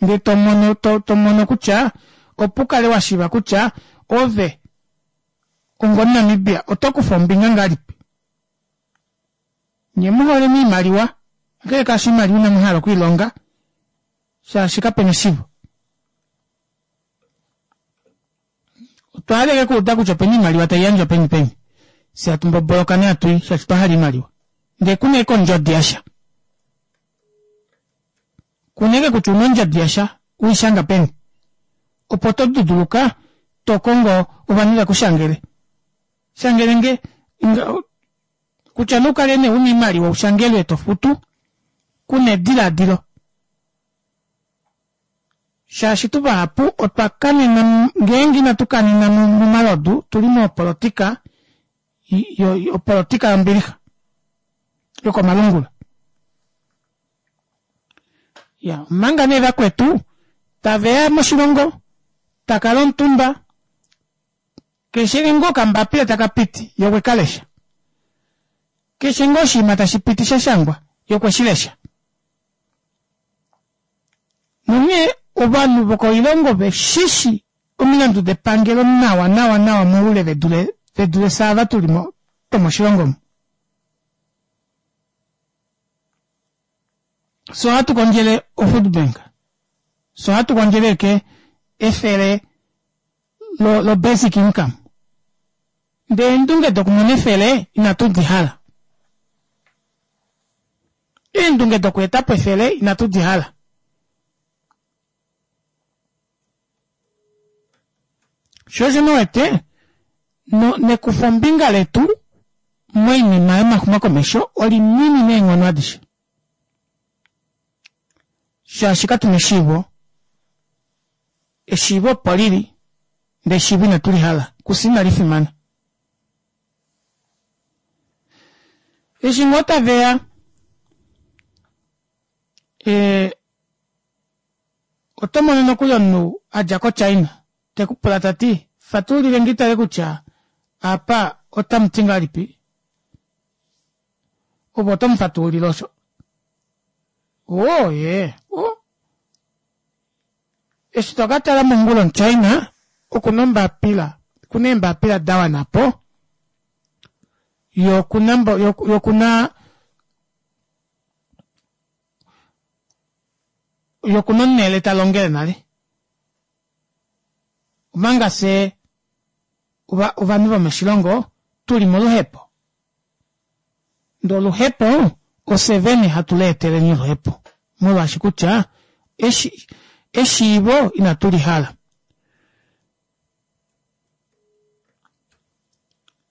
ndee to mono to, to mono kutya opo u kale wa shiiva kutya ove ongomunamibia oto kufa ombinga ngahelipi. Nye mu hole iimaliwa, kakele kaasho iimaliwa inamu hala okwiilonga shaashi kapena eshivo. Otwa hala eke kuuda kutya opena iimaliwa tai yandjwa peni peni. Fye hatu mboboloka nee hatu i shaashi otwa hala iimaliwa. Ndee kuna eke ondjodi yasha. Kuna eke kutya una ondjodi yasha uishanga peni. Opo to duduluka to kongo ovanhu veku shangele. Shangele nge kutya nee ukale nee una iimaliwa ushangelwe to futu kuna ediladilo. Shaashi tu vahapu otwa kanena ngeenge inatu kanena momalodu tu li mopolotika opolotika yombilixa yokomalungula. Ya omanga nee vakwetu taveya moshilongo takala omutumba keshe ngoo okambapila taka piti ye okwe ka lesha. Keshe ngoo oshinima tashi piti sha shangwa ye okwe shi lesha. Nonghee ovanhu vokoilongo ve shi shi omilandu depangelo nawa nawa nawa moule ve dule ve dule fye ava tu li mo twomoshilongo omu. Fye ohatu kondjele ofood bank, fye ohatu kondjele eke efele lo, lo basic income. Ndele eendunge dokumona efele inatu di hala. Eendunge dokweeta po efele inatu di hala. Sho osho wete no, nekufombinga letu moinima yomaxumokomesho olinini neenghono adishe. Shaashi katu na eshiivo. Eshiivo opo lili, ndele eshiivo inatu li hala. Kufye inali fimana. Eshi ngoo tave ya, e, oto mono nokuli omunhu a dja koChina te ku pula ta ti, Fatulile nge tale kutya apa otamu ti ngahelipi? Ove oto mu fatulile osho. Oo, ye. O. Eshi to ka tala mongula omuChina oku na ombapila, oku na eembapila da wana po, ye oku na, ye oku na, ye oku na onhele ta longele nale. Omanga fye ovanhu vomoshilongo tu li moluhepo. Ndee oluhepo ofye vene hatu leeteleni oluhepo molwaashi kutya eshi eshiivo inatu li hala.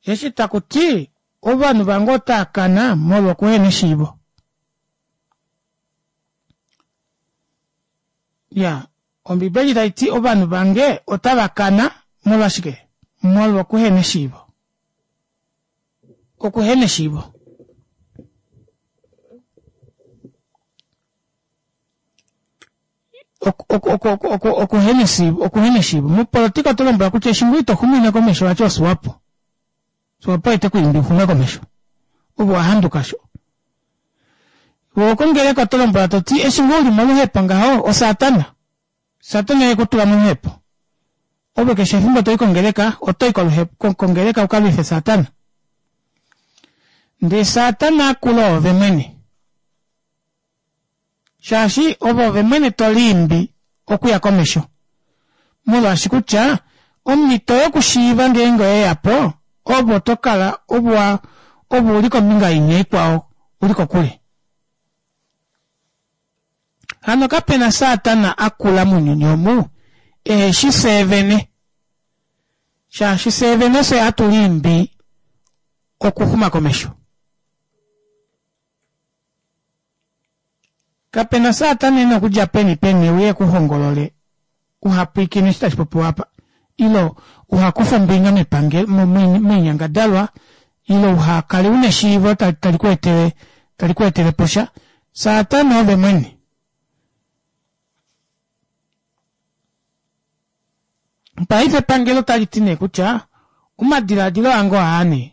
Eshi taku ti ovanhu vange otaa kana molwa okuhena eshiivo. Ya, Ombibeli tai ti ovanhu vange otava kana molwashike? Molwa okuhena eshiivo. Okuhena eshiivo. Okuhena eshiivo. Mopolotika oto lombwelwa kutya eshi ngoo ito xumine komesho vati oSwapo. Swapo oye te ku imbi u xume komesho. Ove owa handuka sho. Ove kongeleka oto lombwelwa to ti eshi ngoo u li moluhepo ngaho oSatana. Satana oye ku tula moluhepo. Ove keshe efimbo to i kongeleka oto i kongeleka u ka lwife Satana. Ndee Satana a kula oove mwene. Shaashi ove ove mwene to liimbi okuya komesho. Molwaashi kutya omhito yokushiiva ngeenge oye ya po, ove oto kala ove ove u li kombinga inya ikwao, u li kokule. Hano kape na Satana a kula mounyuni omu ehe shi fye vene. Shaashi fye vene fye hatu liimbi okuxuma komesho. Kape na Satana e na okudja peni peni e uye e ku hongolole uha pwiikine eshi tashi popiwa apa, ile uha kufe ombinga mepangelo, moinyangadalwa, ile uha kale u na eshiivo tali ku etele, tali ku etele po sha. Satana ove mwene. Paife epangelo otali ti nee kutya omadiladilo ange oaa nee.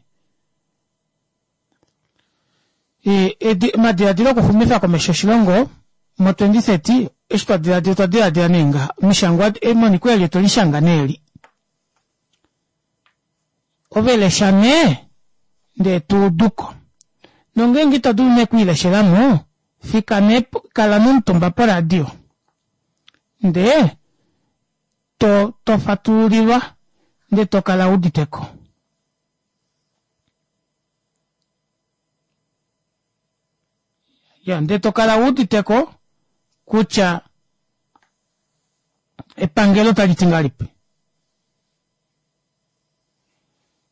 Omadiladilo okuxumifa komesho oshilongo mo 2030 eshi twa diladila otwa diladila nee ngaha omishangwa emoniko eli otwe li shanga nee eli ove lesha nee ndee tu uduko nongeenge ito dulu nee okwiileshela mo fika nee kala nomutumba poradio ndee to to fatululilwa ndee to kala uditeko. Ya, ndee to kala wu udite ko kutya epangelo otali ti ngahelipi.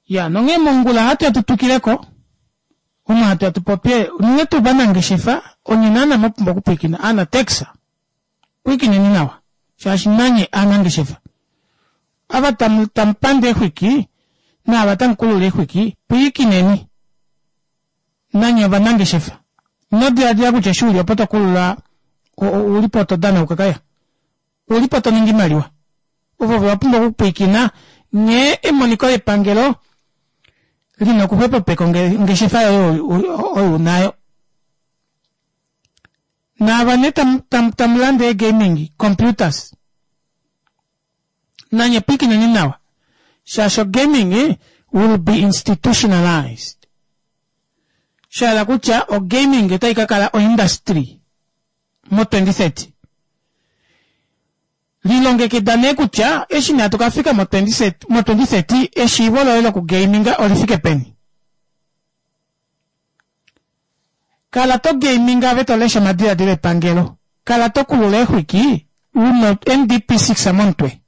Ya, nonghee mongula ohatu ya tu twikile ko, omo hatu ya tu popye, unene tuu ovanangeshefa, onye naana mwa pumbwa okupwilikina, aanatex, pwilikineni nawa, shaashi nanye aanangeshefa. Ava tamu, tamu pande eexwiki, naava tamu kulula eexwiki, pwilikineni. Nanye ovanangeshefa. Ino diladila kutya eshi u li opo to kulula, u li po to danauka kaya. U li po to ningi imaliwa. Ovo ova pumbwa okupwilikina nghee emoniko lepangelo li na okuxwepopeka ongeshefa yoye oyo u nayo. Naava nee tamu, tamu lande ee-gaming computers, nanye pwilikineni nawa shaashi ogaming will be institutionalized. Sha hala kutya ogaming otai ka kala oindustry mo 2030. Lilongekida nee kutya eshi nee hatu ka fika mo 2030 eshiivo loye lokugaminga oli fike peni. Kala to gaminga ove to lesha omadiladilo epangelo. Kala to kulula eexwiki u na NDP6 momutwe.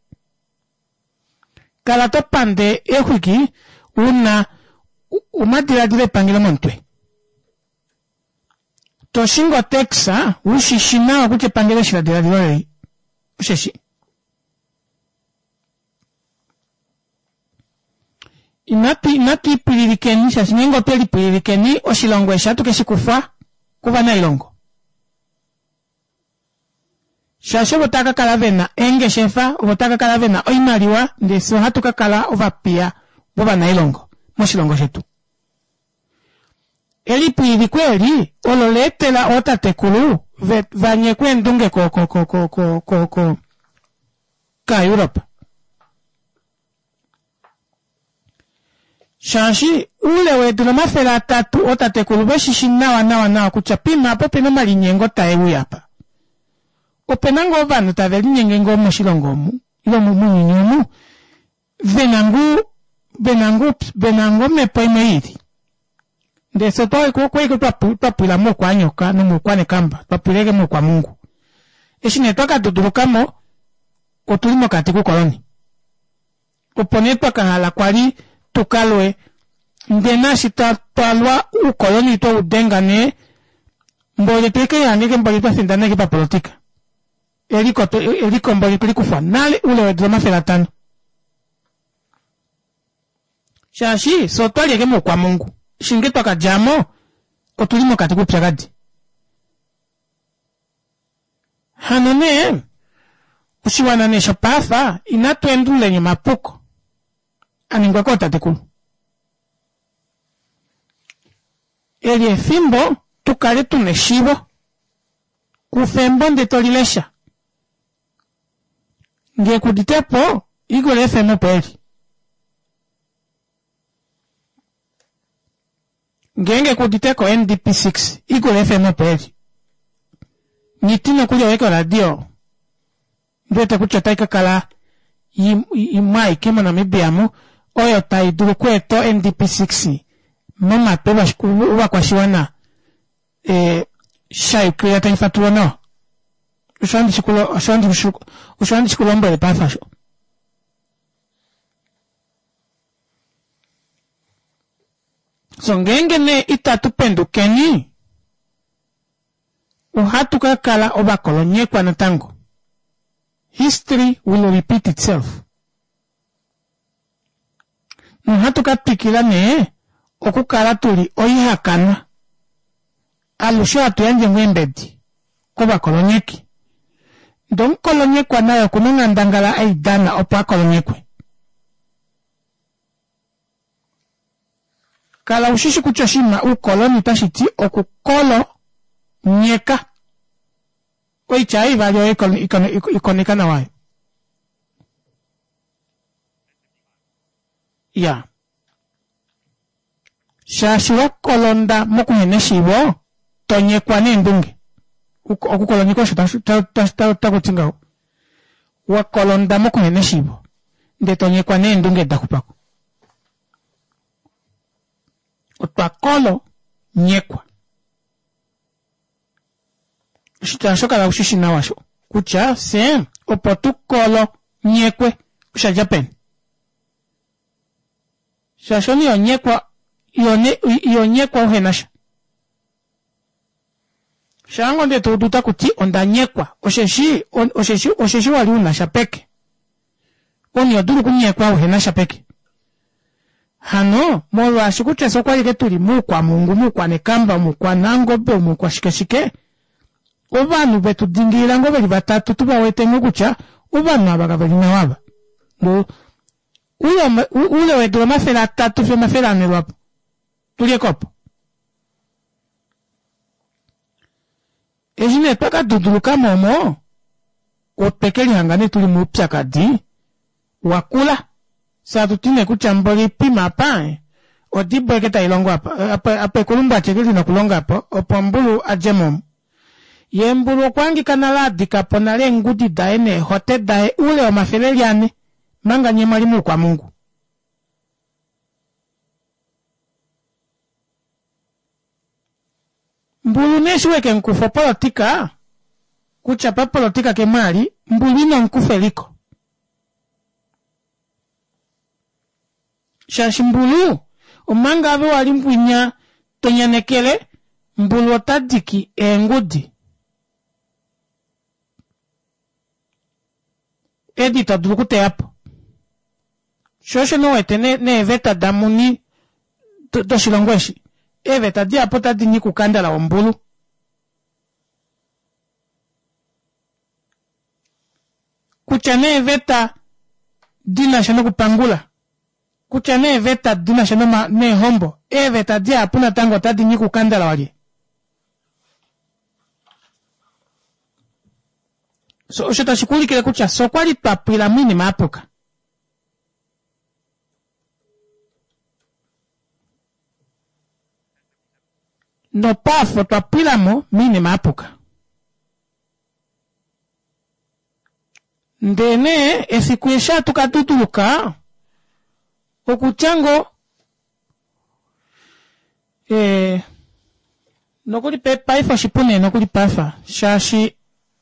Kala to pande eexwiki u na omadiladilo epangelo momutwe. To shingi otaxa wu shi shi nawa kutya epangelo eshi la diladila oleli. Osheshi. Inatu inatu ipwililikeni shaashi ngeenge otwe lipwililikeni oshilongo eshi ohatu ke shi kufwa kovanailongo. Shaashi ovo tava ka kala ve na eengeshefa, ovo tava ka kala ve na oimaliwa, ndele fye ohatu ka kala ovapiya vovanailongo moshilongo shetu. Elipwililiko eli olo la etela ootatekulu ve va nyekwe eendunge ko ko ko ko ko ko ko kAaEuropa. Shaashi oule weedula 300 ootatekulu ve shi shi nawa nawa nawa kutya poima apa ope na omalinyengo tae uya apa. Ope na ngoo ovanhu tave linyenge ngoo moshilongo omu ile mounyuni omu ve na ngoo ve na ngoo ve na ngoo omhepo imwe i lili. Ndele fye otwa okwa ike twa pwila moukwanyoka nomoukwanekamba, twa pwila ike moukwamungu. Eshi nee twa ka duduluka mo, otu li mokati koukoloni. Opo nee twa ka hala kwa li tu ka lwe, ndee naashi twa twa lwa oukoloni twe u denga nee, mboli twe ke lihange ike mboli twa findana ike papolotika. Eliko eliko mboli twe li kufwa nale oule weedula 500. Shaashi fye otwa li eke moukwamungu, eshi nge twa ka dja mo, otu li mokati koupyakadi. Hano nee, Oshiwana nee shopaafa inatu endululeni omapuko a ningwa kootatekulu. Eli efimbo tu kale tu na eshiivo. Kufa embo nde to li lesha. Ngee ku udite po, Eagle FM opo eli. Ngeenge ku udite ko NDP 6, Eagle FM opo eli. Nghiti nokuli oye koradio ndi wete kutya otai ka kala imwe aike moNamibia mu oyo tai dulu okweeta o-NDP 6 momatwi ovakwashiwana e, sha yukilila tai fatulwa nawa. Osho handi shi ku lombwele paife osho. So ngeenge nee itatu pendukeni ohatu ka kala ovakolonyekwa natango. History will repeat itself. Nohatu ka twikila nee okukala tu li oihakanwa. Alushe ohatu yandje ngoo eembedi kovakolonyeki. Ndee omukolonyekwa naye oku na onghandangala ei dana opo a kolonyekwe. Kala u shi shi kutya oshinima uukoloni otashi ti okukolo nyeka. Oitya ei ivali oyo ikoneka nawa ayo. Ya. Shaashi wa kolonda mokuhena eshiivo, to nyekwa neendunge. Okukolonyeka osho taku ti ngaho. Wa kolonda mokuhena eshiivo, ndee to nyekwa neendunge da xupa ko. Otwa kolo nyekwa. Oshitya osho kala ushi shi nawa sho kutya fye opo tu kolo nyekwe osha dja peni. Shaashi omunhu iho nyekwa iho nyekwa uhe na sha. Shaango nde to udu taku ti onda nyekwa osheshi osheshi osheshi wa li u na sha peke. Omunhu iho dulu okunyekwa uhe na sha peke. Hano molwaashi kutya fye okwa li ke tuli muukwamungu, muukwanekamba, muukwanangobe, muukwashikeshike, ovanhu vetu dingilila ngoo veli vatatu tu va wete ngoo kutya ovanhu ava kave li nawa ava. Oule weedula 300 fiyo 400 lwapo tu li ekopo. Eshi nee twa ka duduluka mo omo, otwe ke lihanga nee tu li moupyakadi wa kula. Fye hatu ti nee kutya mboli pima apa, odibo eke tai longo apa, apa ekulumbwati eke li na okulonga apa, opo mbulu a dje mo omu. Ye mbulu okwa hangika nale a dika po nale eengudi daye neehote daye oule womafele eli ane, manga nye mwa li muukwamungu. Mbulu nee eshi weke mukufa opolotika, kutya papolotika ke mwali, mbulu ino mukufa eliko. Shaashi mbulu, omanga ove wali mbwinya to nyanekele, mbulu ota diki eengudi. Edi ito dulu okuteya po. Sho osho nee wete neeveta damuni doshilongo eshi, eeveta dihapu otadi nyika ukandala wombulu. Kutya nee eeveta di na sha nokupangula, kutya nee eeveta di na sha neehombo, eeveta dihapu natango otadi nyika ukandala walye. So, osho tashi ku ulikile kutya fye okwa li twa pwila moinima ya puka. Nopaafo otwa pwila mo moinima ya puka. Ndee nee efiku eshi hatu ka duduluka, okutya ngoo eh, nokuli paife oshipu nee nokuli paife shaashi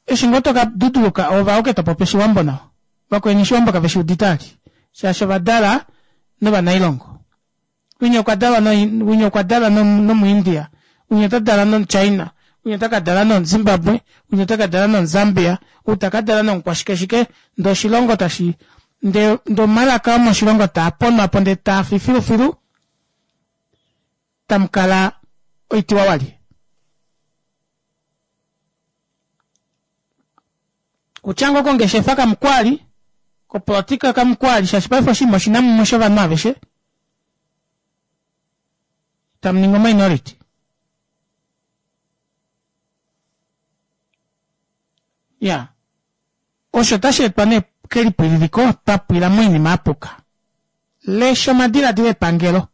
eshi ngoo toka duduluka ove auke to popi oshiwambo nawa vakweni oshiwambo kave shi udite ali shaashi ova dala novanailongo winya okwa dalwa no winya okwa dalwa nomuindia winya ota dala nomuchina winya ota ka dala nomuzimbabwe winya ota ka dala nomuzambia ou ta ka dala nomukwashikeshike ndee oshilongo tashi ndee ndee omalaka omoshilongo taa ponwa po ndee taa fi filufilu tamu kala oitiwa walye. Kutya ngoo kongeshefa kamukwali, kopolitika kamukwali, shaashi paife oshinima oshina mumwe shovanhu aveshe. Tamu ningi ominority. Ya. Osho otashi etwa nee kelipwililiko twa pwila moinima ya puka. Lesha omadiladilo epangelo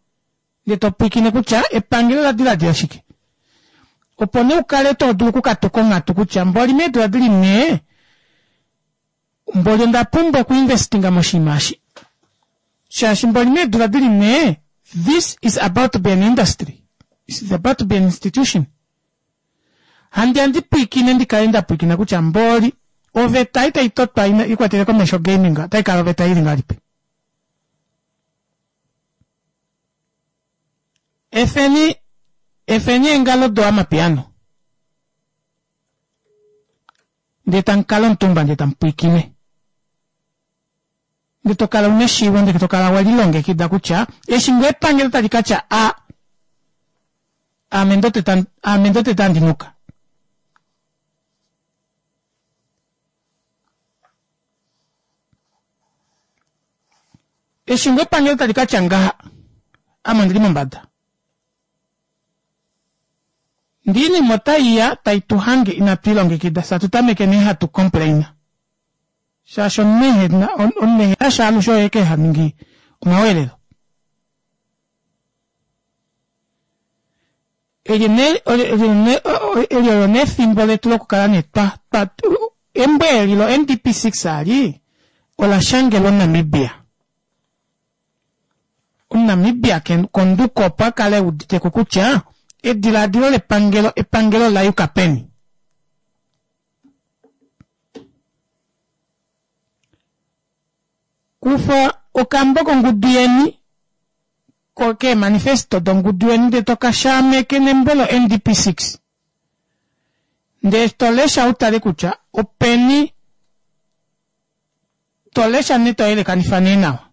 ndee to pwilikine kutya epangelo ola diladila shike. Opo nee u kale to dulu okukatuka onghatu kutya mboli meedula di li nhee mboli onda pumbwa okuinvestinga moshinima eshi. Shaashi mboli meedula di li nhee this is about to be an industry. This is about to be an institution. Handi ya ndi pwiikine ndi kale nda pwiikina kutya mboli oveta ei tai totwa i kwatele komesho gaming otai kala oveta ili ngahelipi. Efeni efeni eengalo do amapiano ndee tamu kala omutumba ndee tamu pwiikine. Ndee to kala una eshiivo ndee to kala we lilongekida kutya eshi ngoo epangelo tali ka tya a aame ndo tete aame ndo tete handi nuka. Eshi ngoo epangelo tali ka tya ngaha ame ondili mombada. Ndee oinima otai ya tai tu hange inatu ilongekida fye atu tameke nee hatu complain. Shaashi omunhu ehe na omunhu ehe na sha alushe oye ke ha ningi omaweelelo. Eli nee eli olo nee efimbo letu lokukala nee twa twa embo eli lo NDP 6 ali ola shangelwa omuNamibia. OmuNamibia konduko opo a kale e udite ko kutya edilaadilo lepangelo epangelo ola yuka peni. Kufa okambo kongudu yeni keemanifesto dongudu yeni ndee to ka shaameke nembo lo-NDP 6 ndee to lesha u tale kutya openi to lesha nee to yelekanifa nee nawa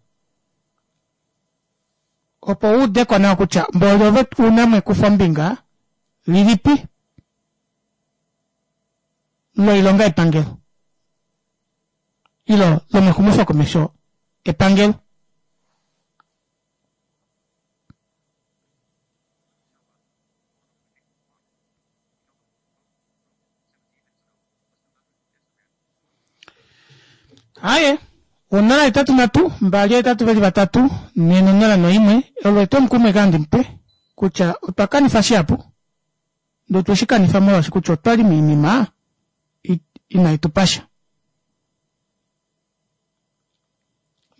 opo u ude ko nawa kutya mboli ove u na mo ekufombinga lilipi loilonga yepangelo ilo lomexumofokomesho epangelo. Aye, 0 8 3 2 8 2 3 4 0 1 olo etwomukumo eke handi mupe kutya otwa kanifa shihapu ndee otwe shi kanifa molwaashi kutya otwa li moinima inai tu pa sha.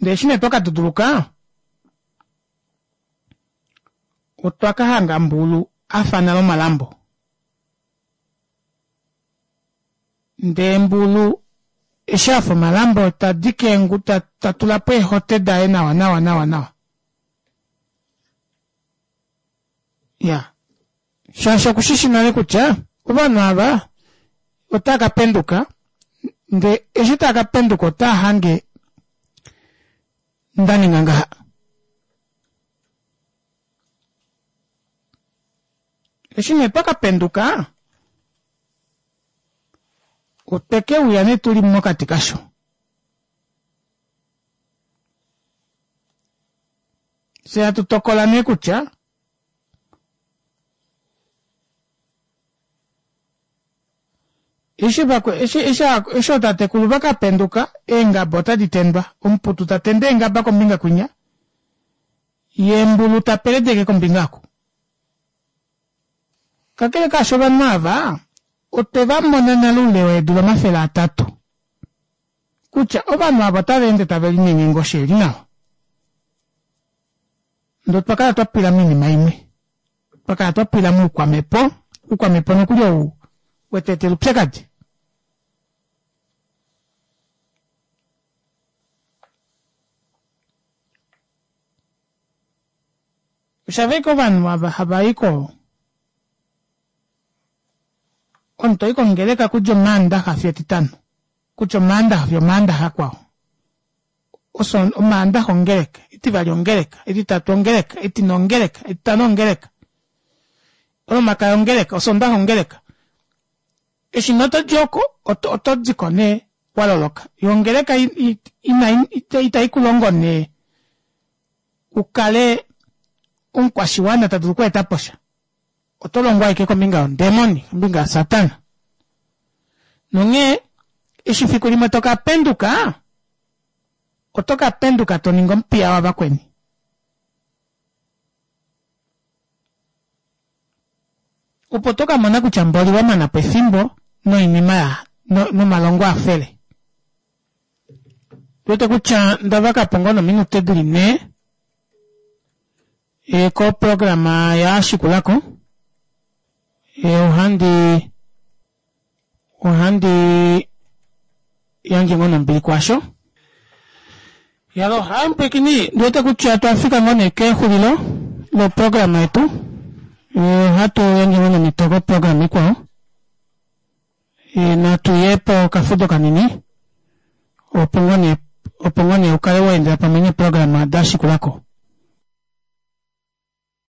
Ndee eshi nee twa ka duduluka, otwa ka hanga Mbulu a fa nale omalambo. Ndee Mbulu eshi a fa omalambo ta dike eengu, ta, ta tula po eehote daye nawa nawa nawa nawa. Ya. Shaashi oku shi shi nale kutya ovanhu ava otava ka penduka, ndee eshi tava ka penduka otava hange nda ninga ngaha. Eshi nee twa ka penduka, otwe ke uya nee tu li mokati kasho. Fye hatu tokola nee kutya Eshi vakwe, eshi, eshi, eshi ootatekulu va ka penduka, eengaba otadi tendwa. Omuputu ta tende eengaba kombinga kwinya, ye mbulu ta peledeke kombinga oku. Kakele kaasho ovanhu ava otwe va mona nale oule weedula 300 kutya ovanhu ava otava ende tave linyenge ngoo shili nawa. Ndee otwa kala twa pwila moinima imwe. Twa kala twa pwila moukwamhepo, oukwamhepo nokuli ou we tu etela oupyakadi. Osha fa ashike ovanhu ava hava i ko, omunhu to i kongeleka kudja Omaandaxa fiyo Etitano, kutya Omaandaxa fiyo Omaandaxa akwao. Oso, Omaandaxa ongeleka, Etivali ongeleka, Etitatu ongeleka, Etine ongeleka, Etitano ongeleka, Olomakaya ongeleka, Osondaxa ongeleka. Eshi nee oto di oko, oto, oto di ko nee. Wa loloka. Yo ongeleka itai ku longo nee u kale omukwashiwana ta dulu okweeta po sha. Oto longwa ashike kombinga yondemoni, kombinga yaSatana. Nonghee eshi fiku limwe to ka penduka, oto ka penduka to ningi omupiya wavakweni. Opo to ka mona kutya mboli wa mana po efimbo noinima ya nomalongo a fele. Wete kutya nda vaka po ngoo nominute di li nhee e, koprograma ya shikula ko. E, ohandi ohandi yandje ngoo nombili kwasho. Yalo, hai mpwekini, ndi wete kutya otwa fika ngoo nee kexulilo loprograma yetu. Ohatu yandje ngoo nomhito koprograma ikwao. E, natu ye pokafudo kanini opo ngoo nee opo ngoo nee u kale wa endela pamwe neeprograma da shikula ko.